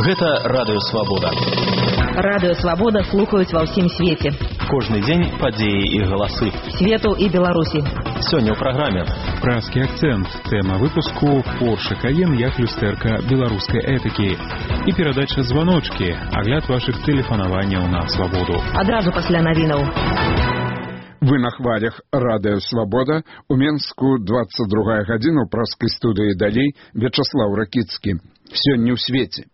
Гэта Радыё Свабода. Радыё Свабода слухаюць ва ўсім свеце. Кожны дзень падзеі і галасы. Свету і Беларусі. Сёння ў праграме. Пражскі акцэнт. Тэма выпуску Porsche Cayenne як люстэрка беларускай этыкі. І перадача званочкі. Агляд вашых тэлефанаванняў на Свабоду. Адразу пасля навінаў. Вы на хвалях Радыё Свабода. У Менску 22 гадзіна ў пражскай студыі далей Вячаслаў Ракіцкі. Сёння ў свеце.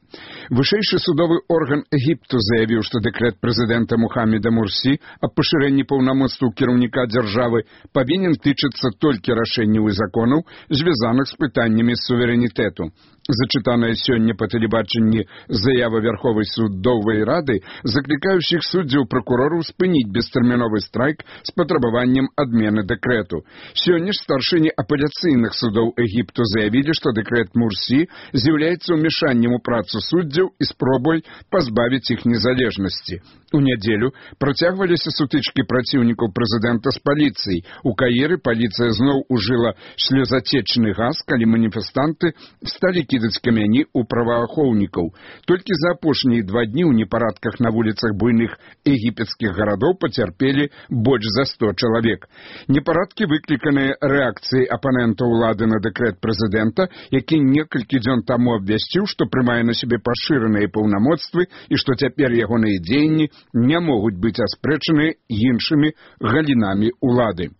Вышэйшы судовы орган Егіпту заявіў, што дэкрэт прэзідэнта Мухаммеда Мурсі аб пашырэнні паўнамоцтваў кіраўніка дзяржавы павінен тычыцца толькі рашэнняў і законаў, звязаных з пытаннямі суверэнітэту. Зачытаная сёння па тэлебачанні заява Вярховай судовай рады, заклікаючых суддзяў пракурораў спыніць бестэрміновы страйк з патрабаваннем адмены дэкрэту. Сёння ж старшыні апеляцыйных судоў Егіпту заявілі, што дэкрэт Мурсі з'яўляецца ўмешаннем у працу суддзяў і спробай пазбавіць іх незалежнасці. У нядзелю працягваліся сутычкі праціўнікаў прэзідэнта з паліцыяй. У Каіры паліцыя зноў ужыла слёзацечны газ, калі маніфестанты сталі кідаць камяні ў праваахоўнікаў. Толькі за апошнія 2 дні ў непарадках на вуліцах буйных егіпецкіх гарадоў пацярпелі больш за 100 чалавек. Непарадкі выкліканыя рэакцыяй апанента ўлады на дэкрэт прэзідэнта, які некалькі дзён таму абвясціў, што прымае на сябе пашыраныя паўнамоцтвы і што цяпер ягоныя дзеянні не могуць быць аспрэчаны іншымі галінамі ўлады.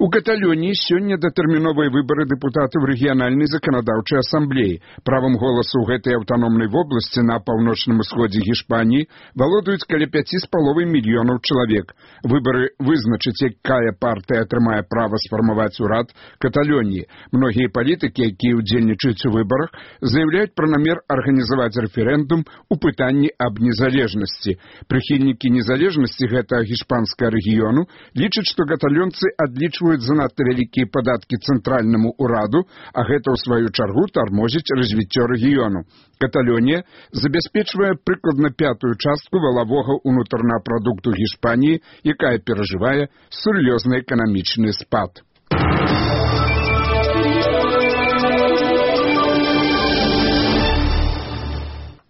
У Каталоніі сёння датэрміновыя выбары дэпутатаў рэгіянальнай заканадаўчай асамблеі. Правам голасу ў гэтай аўтаномнай вобласці на паўночным усходзе Гішпаніі валодаюць каля 5,5 мільёнаў чалавек. Выбары вызначаць, якая партыя атрымае права сфармаваць урад Каталоніі. Многія палітыкі, якія ўдзельнічаюць у выбарах, заяўляюць пра намер арганізаваць рэферэндум у пытанні аб незалежнасці. Прыхільнікі незалежнасці гэтага гішпанскага рэгіёну лічаць, што каталонцы адлічваюць занадта вялікія падаткі цэнтральнаму ўраду, а гэта ў сваю чаргу тармозіць развіццё рэгіёну. Каталонія забяспечвае прыкладна 5-ю частку валавога ўнутранага прадукту Гішпаніі, якая перажывае сур'ёзны эканамічны спад.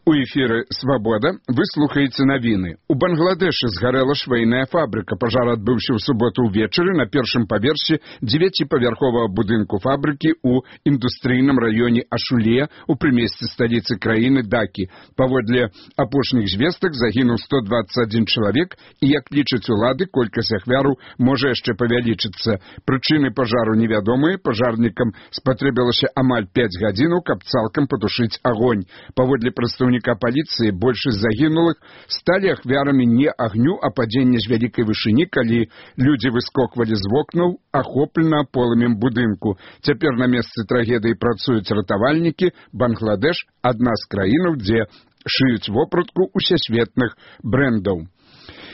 У эфіры «Свабода» вы слухаеце навіны. У Бангладэшы згарэла швейная фабрыка. Пажар адбыўся ў суботу ўвечары на першым паверсе 9-павярховага будынку фабрыкі ў індустрыйным раёне Ашуле у прымесці сталіцы краіны Дакі. Паводле апошніх звестак загінуў 121 чалавек і, як лічаць улады, колькасць ахвяраў можа яшчэ павялічыцца. Прычыны пажару невядомыя. Пажарнікам спатрэбілася амаль 5 гадзінаў, каб цалкам патушыць агонь. Паводле прадстаўніка паліцыі, большасць загінулых сталі ахвярамі не агню, а падзення з вялікай вышыні, калі людзі выскоквалі з вокнаў, ахоплена полымем будынку. Цяпер на месцы трагедыі працуюць ратавальнікі. Бангладэш – адна з краінаў, дзе шыюць вопратку усесветных брэндаў.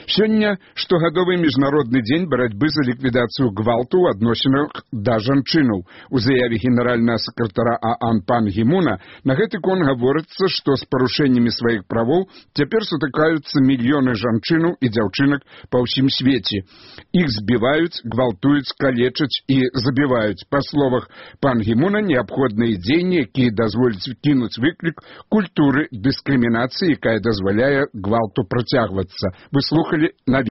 Сёння штогадовы міжнародны дзень барацьбы за ліквідацыю гвалту ў адносінах да жанчынаў. У заяве генеральнага сакратара ААН пан Гімуна на гэты конт гаворыцца, што з парушэннямі сваіх правоў цяпер сутыкаюцца мільёны жанчынаў і дзяўчынак па ўсім свеце. Іх збіваюць, гвалтуюць, калечаць і забіваюць. Па словах пан Гімуна, неабходныя дзеянні, якія дазволяць кінуць выклік культуры дыскрымінацыі, якая дазваляе гвалту працягвацца. Вы слухали на